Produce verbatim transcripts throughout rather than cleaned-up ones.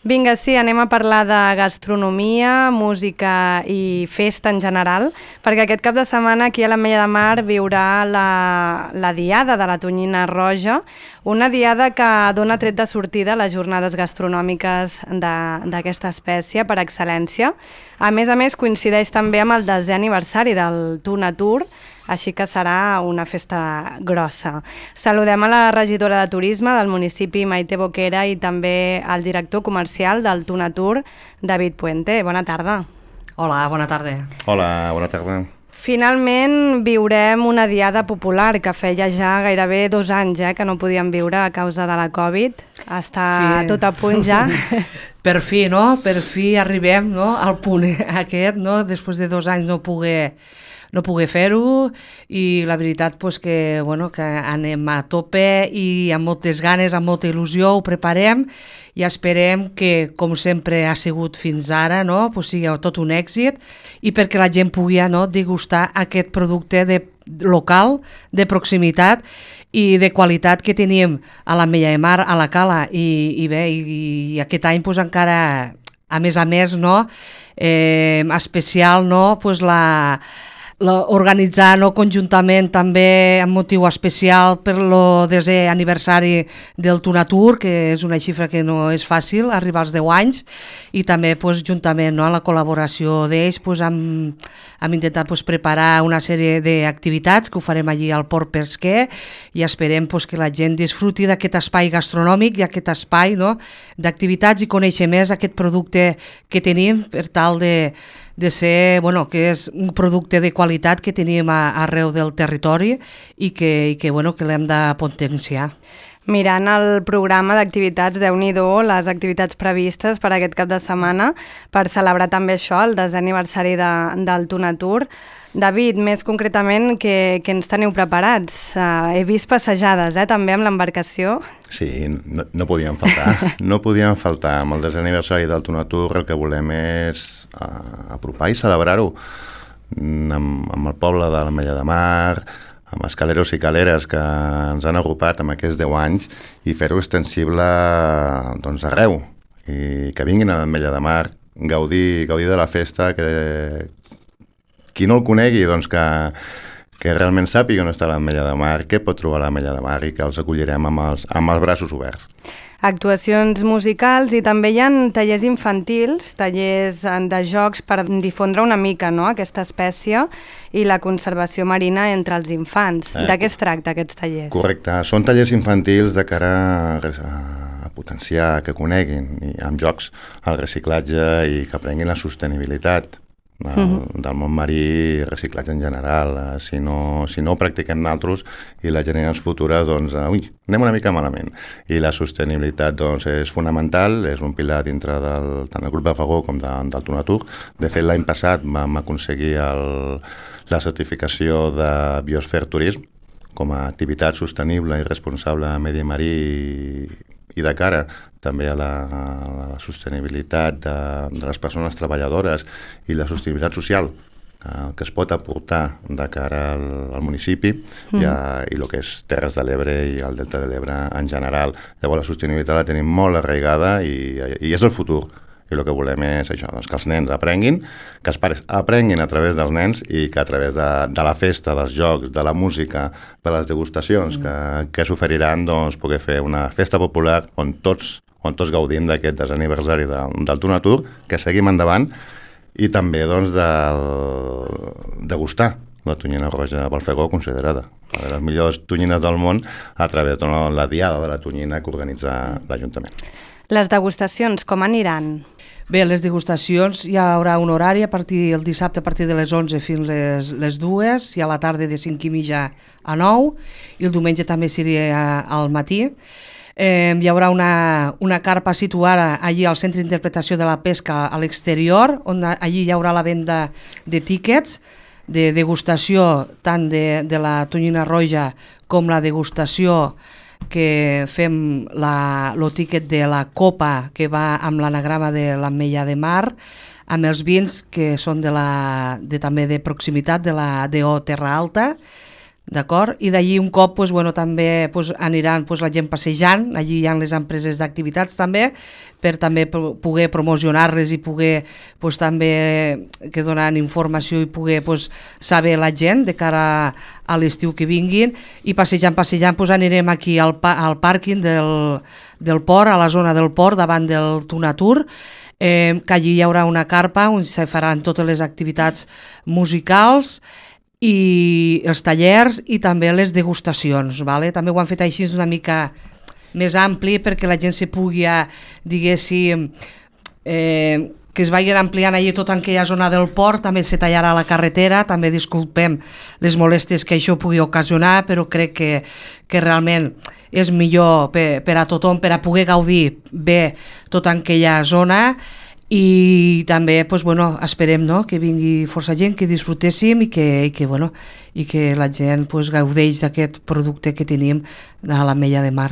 Vinga, sí, anem a parlar de gastronomia, música i festa en general, perquè aquest cap de setmana aquí a l'Ametlla de Mar viurà la, la Diada de la Tonyina Roja, una diada que dona tret de sortida a les jornades gastronòmiques d'aquesta espècie per excel·lència. A més a més, coincideix també amb el desè aniversari del Tuna Tour, així que serà una festa grossa. Saludem a la regidora de Turisme del municipi, Maite Boquera, i també al director comercial del Tuna Tour, David Puente. Bona tarda. Hola, bona tarda. Hola, bona tarda. Finalment viurem una diada popular que feia ja gairebé dos anys eh, que no podíem viure a causa de la Covid. Està sí. Tot a punt ja. Per fi, no? Per fi arribem, no? Al punt aquest, no? Després de dos anys no poder... no poder fer-ho i la veritat pues, que, bueno, que anem a tope i amb moltes ganes, amb molta il·lusió, ho preparem i esperem que, com sempre ha sigut fins ara, no, pues, sigui tot un èxit i perquè la gent pugui no, degustar aquest producte de, local, de proximitat i de qualitat que tenim a l'Ametlla de Mar, a la Cala i, i bé, i, i aquest any pues, encara, a més a més, no, eh, especial, no, pues, la... organitzar no, conjuntament també amb motiu especial per el desè aniversari del Tuna Tour, que és una xifra que no és fàcil, arribar als deu anys, i també pues, juntament no, a la col·laboració d'ells pues, hem, hem intentat pues, preparar una sèrie d'activitats que ho farem allí al Port Pesquer i esperem pues, que la gent disfruti d'aquest espai gastronòmic i aquest espai no, d'activitats i conèixer més aquest producte que tenim per tal de de ser, bueno, que és un producte de qualitat que tenim a, arreu del territori i que, i que, bueno, que l'hem de potenciar. Mirant el programa d'activitats, Déu-n'hi-do, les activitats previstes per aquest cap de setmana per celebrar també això, el desè aniversari de, del Tuna Tour. David, més concretament, què, què ens teniu preparats? Uh, he vist passejades, eh, també amb l'embarcació. Sí, no, no podien faltar. No podien faltar. Amb el desè aniversari del Tuna Tour el que volem és uh, apropar i celebrar-ho amb, amb el poble de l'Ametlla de Mar, amb els caleros i caleres que ens han agrupat amb aquests deu anys i fer-ho extensible doncs, arreu. I que vinguin a l'Ametlla de Mar, gaudir, gaudir de la festa, que qui no el conegui, doncs que, que realment sàpiga on està l'Ametlla de Mar, què pot trobar l'Ametlla de Mar i que els acollirem amb els, amb els braços oberts. Actuacions musicals i també hi ha tallers infantils, tallers de jocs per difondre una mica no, aquesta espècie i la conservació marina entre els infants. Eh, de què es tracta aquests tallers? Correcte, són tallers infantils de cara a, a potenciar, que coneguin i amb jocs el reciclatge i que aprenguin la sostenibilitat del, uh-huh. del món marí i reciclatge en general. Si no, si no ho practiquem nosaltres i les generacions futures, doncs, ui, anem una mica malament. I la sostenibilitat doncs, és fonamental, és un pilar dintre del, tant del grup de Fagó com de, del Tuna Tour. De fet, l'any passat vam aconseguir el, la certificació de Biosphere Tourism com a activitat sostenible i responsable a medi marí i, i de cara també a la, a la sostenibilitat de, de les persones treballadores i la sostenibilitat social eh, que es pot aportar de cara al, al municipi mm. i, a, i el que és Terres de l'Ebre i el Delta de l'Ebre en general. Llavors la sostenibilitat la tenim molt arraigada i, i és el futur. I el que volem és això, doncs, que els nens aprenguin, que els pares aprenguin a través dels nens i que a través de, de la festa, dels jocs, de la música, de les degustacions mm. que, que s'oferiran, doncs, poder fer una festa popular on tots on tots gaudim d'aquest desè aniversari de, del Tuna Tour, que seguim endavant, i també doncs, de degustar la tonyina roja Balfegó, considerada una de les millors tonyines del món a través de la diada de la tonyina que organitza l'Ajuntament. Les degustacions, com aniran? Bé, les degustacions hi haurà un horari a partir el dissabte a partir de les onze fins les, les dues i a la tarda de cinc i mitja a nou i el diumenge també seria al matí. Eh, hi haurà una, una carpa situada allí al Centre d'Interpretació de la Pesca a l'exterior, on allí hi haurà la venda de tíquets de degustació tant de, de la tonyina roja com la degustació que fem la, el tíquet de la copa que va amb l'anagrama de l'Ametlla de Mar, amb els vins que són de la, de, també de proximitat de la D O Terra Alta, d'acord? I d'allí un cop pues, bueno, també pues, aniran pues, la gent passejant, allí hi ha les empreses d'activitats també, per també poder promocionar-les i poder pues, també que donen informació i poder pues, saber la gent de cara a l'estiu que vinguin, i passejant, passejant pues, anirem aquí al, pa al pàrquing del, del port, a la zona del port, davant del Tunatur, eh, que allí hi haurà una carpa on se faran totes les activitats musicals i els tallers i també les degustacions, vale? També ho han fet així una mica més ampli perquè la gent se pugui, diguéssim, eh, que es vagin ampliant allà tota aquella zona del port, també se tallarà la carretera, també disculpem les molèsties que això pugui ocasionar, però crec que, que realment és millor per, per a tothom, per a poder gaudir bé tota aquella zona. I també pues, bueno, esperem no? que vingui força gent, que disfrutéssim i que, i que, bueno, i que la gent pues, gaudeix d'aquest producte que tenim a l'Ametlla de Mar.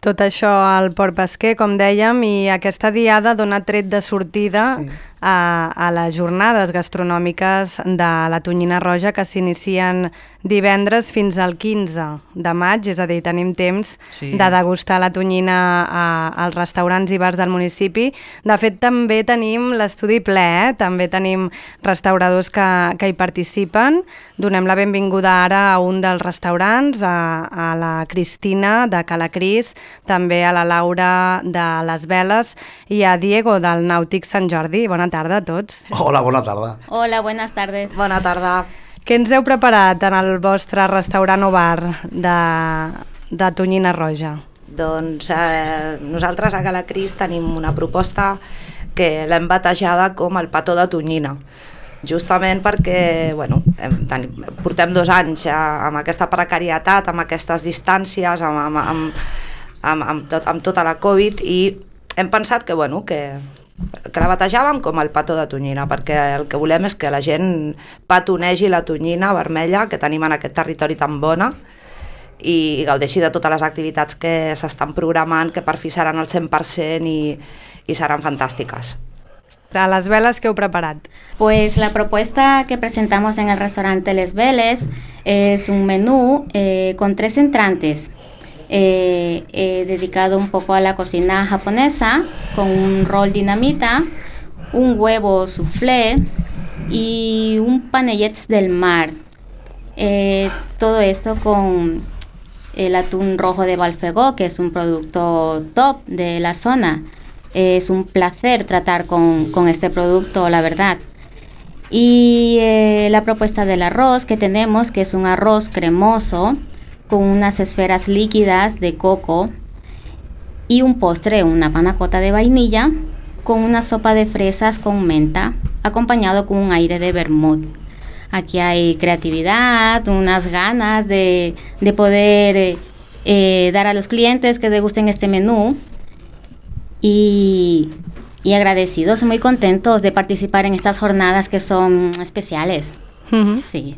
Tot això al Port Pesquer, com dèiem, i aquesta diada dona tret de sortida sí. a, a les jornades gastronòmiques de la Tonyina Roja, que s'inicien divendres fins al quinze de maig, és a dir, tenim temps sí. de degustar la tonyina a, als restaurants i bars del municipi. De fet, també tenim l'estudi ple, eh? També tenim restauradors que, que hi participen. Donem la benvinguda ara a un dels restaurants, a, a la Cristina de Calacris, també a la Laura de les Veles i a Diego del Nàutic Sant Jordi. Bona tarda a tots. Hola, bona tarda. Hola, buenas tardes. Bona tarda. Què ens heu preparat en el vostre restaurant o bar de, de Tonyina Roja? Doncs eh, nosaltres a Calacris tenim una proposta que l'hem batejada com el petó de tonyina, justament perquè bueno, hem, tenim, portem dos anys a, amb aquesta precarietat, amb aquestes distàncies, amb, amb, amb, amb, amb, tot, amb tota la Covid, i hem pensat que, bueno, que que la batejàvem com el petó de tonyina, perquè el que volem és que la gent petonegi la tonyina vermella que tenim en aquest territori tan bona i gaudeixi de totes les activitats que s'estan programant, que per fi seran al cent per cent i, i seran fantàstiques. A les Veles, què heu preparat? Pues la propuesta que presentamos en el restaurante Les Veles es un menú eh, con tres entrantes. Eh, eh, dedicado un poco a la cocina japonesa, con un roll dinamita, un huevo soufflé y un panellets del mar. Eh, todo esto con el atún rojo de Balfegó, que es un producto top de la zona. Eh, es un placer tratar con, con este producto, la verdad. Y eh, la propuesta del arroz que tenemos, que es un arroz cremoso, con unas esferas líquidas de coco y un postre, una panna cotta de vainilla, con una sopa de fresas con menta, acompañado con un aire de vermut. Aquí hay creatividad, unas ganas de, de poder eh, dar a los clientes que degusten este menú y, y agradecidos, muy contentos de participar en estas jornadas que son especiales. Uh-huh. Sí.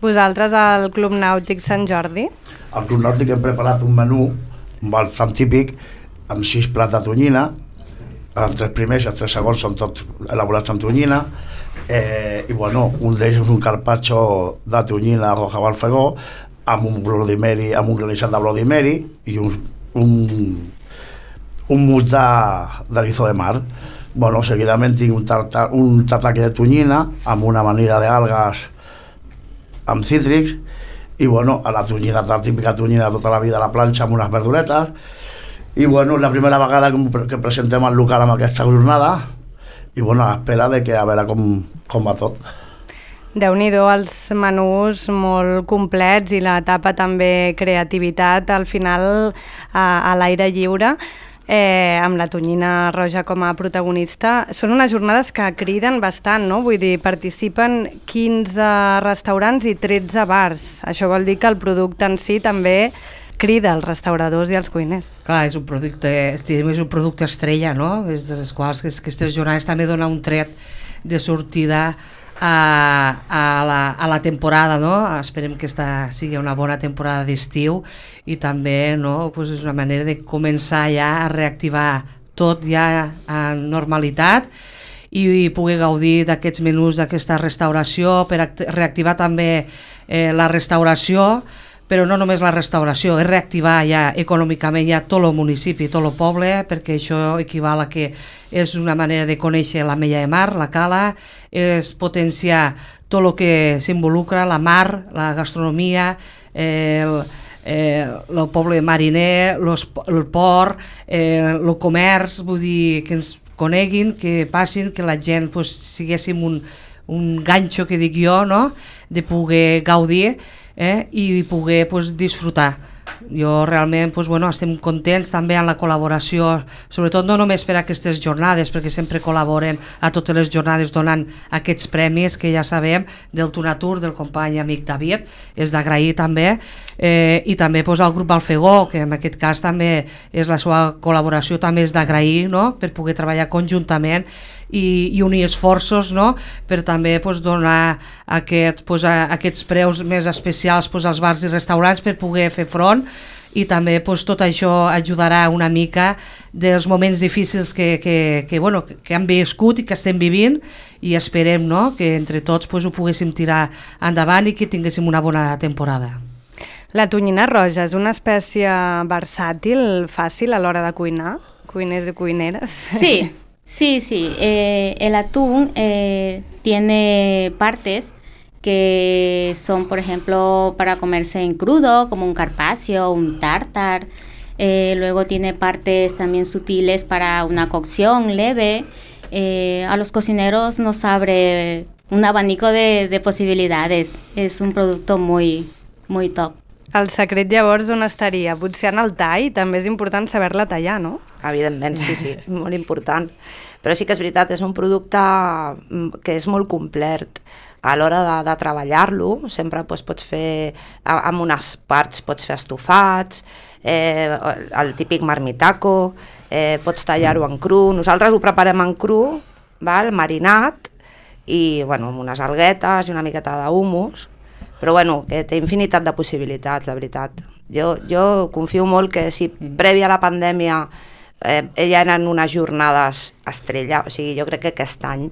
Vosaltres al Club Nàutic Sant Jordi? Al Club Nàutic hem preparat un menú bastant típic amb sis plats de tonyina. Els tres primers i els tres segons són tots elaborats amb tonyina. Eh, I bueno, un d'ells és un carpaccio de tonyina roja Balfegó amb un Bloody Mary, amb un granissat de Bloody Mary i un, un, un mousse de, de lizo de mar. Bueno, seguidament tinc un, tartar, un tataki de tonyina amb una amanida d'algues amb cítrics i bueno, a la tonyina, la típica tonyina de tota la vida a la planxa amb unes verduretes i bueno, la primera vegada que, que presentem el local amb aquesta jornada i bueno, a l'espera de que a veure com, com va tot. Déu-n'hi-do, els menús molt complets i l'etapa també creativitat al final a, a l'aire lliure. Eh, amb la Tonyina Roja com a protagonista. Són unes jornades que criden bastant, no? Vull dir, participen quinze restaurants i tretze bars. Això vol dir que el producte en si també crida als restauradors i als cuiners. Clar, és un producte, és un producte estrella, no? És de les quals aquestes jornades també dona un tret de sortida a, a, la, a la temporada, no? Esperem que esta sigui una bona temporada d'estiu i també, no, pues és una manera de començar ja a reactivar tot ja a normalitat i poder gaudir d'aquests menús, d'aquesta restauració, per reactivar també eh, la restauració, però no només la restauració, és reactivar ja econòmicament ja tot el municipi, tot el poble, perquè això equival a que és una manera de conèixer l'Ametlla de Mar, la cala, és potenciar tot el que s'involucra, la mar, la gastronomia, eh, el, eh, el poble mariner, los, el port, eh, el comerç, vull dir, que ens coneguin, que passin, que la gent pues, siguéssim un, un ganxo, que dic jo, no? De poder gaudir eh? I poder pues, disfrutar. Jo realment pues, bueno, estem contents també amb la col·laboració, sobretot no només per aquestes jornades, perquè sempre col·laboren a totes les jornades donant aquests premis que ja sabem del Tunatur, del company amic David, és d'agrair també, eh, i també pues, al grup Alfegó, que en aquest cas també és la seva col·laboració, també és d'agrair, no? Per poder treballar conjuntament i, i unir esforços, no? Per també pues, donar aquest, pues, a, aquests preus més especials pues, als bars i restaurants per poder fer front, i també pues, tot això ajudarà una mica dels moments difícils que, que, que, bueno, que han viscut i que estem vivint, i esperem, no? Que entre tots pues, ho poguéssim tirar endavant i que tinguéssim una bona temporada. La tonyina roja és una espècie versàtil, fàcil a l'hora de cuinar? Cuiners i cuineres? Sí. Sí, sí, eh, el atún eh, tiene partes que son, por ejemplo, para comerse en crudo, como un carpaccio, un tártar. Eh, luego tiene partes también sutiles para una cocción leve. Eh, a los cocineros nos abre un abanico de, de posibilidades. Es un producto muy, muy top. El secret llavors on estaria? Potser en el tall, també és important saber-la tallar, no? Evidentment, sí, sí, molt important. Però sí que és veritat, és un producte que és molt complet. A l'hora de, de treballar-lo, sempre doncs, pots fer, amb unes parts pots fer estofats, eh, el típic marmitaco, eh, pots tallar-ho en cru. Nosaltres ho preparem en cru, val, marinat, i bueno, amb unes alguetes i una miqueta d'humus, però bueno, que té infinitat de possibilitats, de veritat. Jo, jo confio molt que si prèvia a la pandèmia eh, ja eren unes jornades estrella, o sigui, jo crec que aquest any,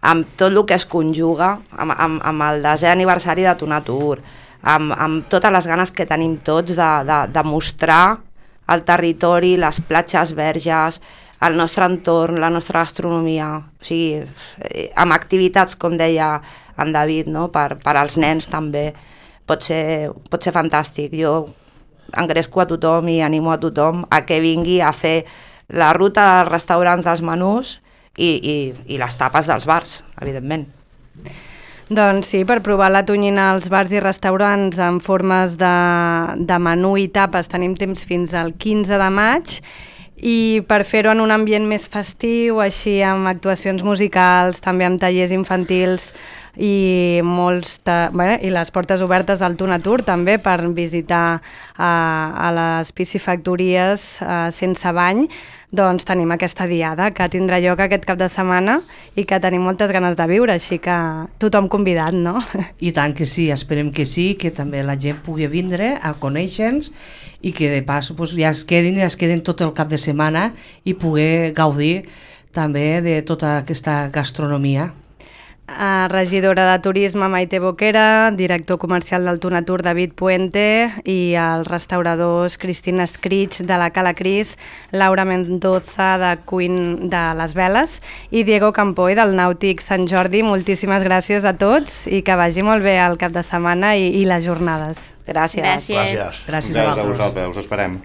amb tot el que es conjuga, amb, amb, amb el desè aniversari de Tunatur, amb, amb totes les ganes que tenim tots de, de, de mostrar el territori, les platges verges, el nostre entorn, la nostra gastronomia, o sigui, amb activitats, com deia en David, no? per, per als nens també, pot ser, pot ser fantàstic. Jo engresco a tothom i animo a tothom a que vingui a fer la ruta dels restaurants dels menús i, i, i les tapes dels bars, evidentment. Doncs sí, per provar la tonyina als bars i restaurants en formes de, de menú i tapes tenim temps fins al quinze de maig, i per fer-ho en un ambient més festiu, així amb actuacions musicals, també amb tallers infantils i molts ta... bueno, i les portes obertes al Tunatur també per visitar uh, a les piscifactories uh, sense bany, doncs tenim aquesta diada que tindrà lloc aquest cap de setmana i que tenim moltes ganes de viure, així que tothom convidat, no? I tant que sí, esperem que sí, que també la gent pugui vindre a conèixer-nos i que de pas pues, ja es quedin, ja es quedin tot el cap de setmana i poder gaudir també de tota aquesta gastronomia. Uh, regidora de Turisme Maite Boquera, director comercial del Tunatur David Puente i els restauradors Cristina Escrich de la Cala Cris, Laura Mendoza de Cuin de les Veles i Diego Campoy del Nàutic Sant Jordi. Moltíssimes gràcies a tots i que vagi molt bé el cap de setmana i, i les jornades. Gràcies. Gràcies. Gràcies. Gràcies a vosaltres. Us esperem.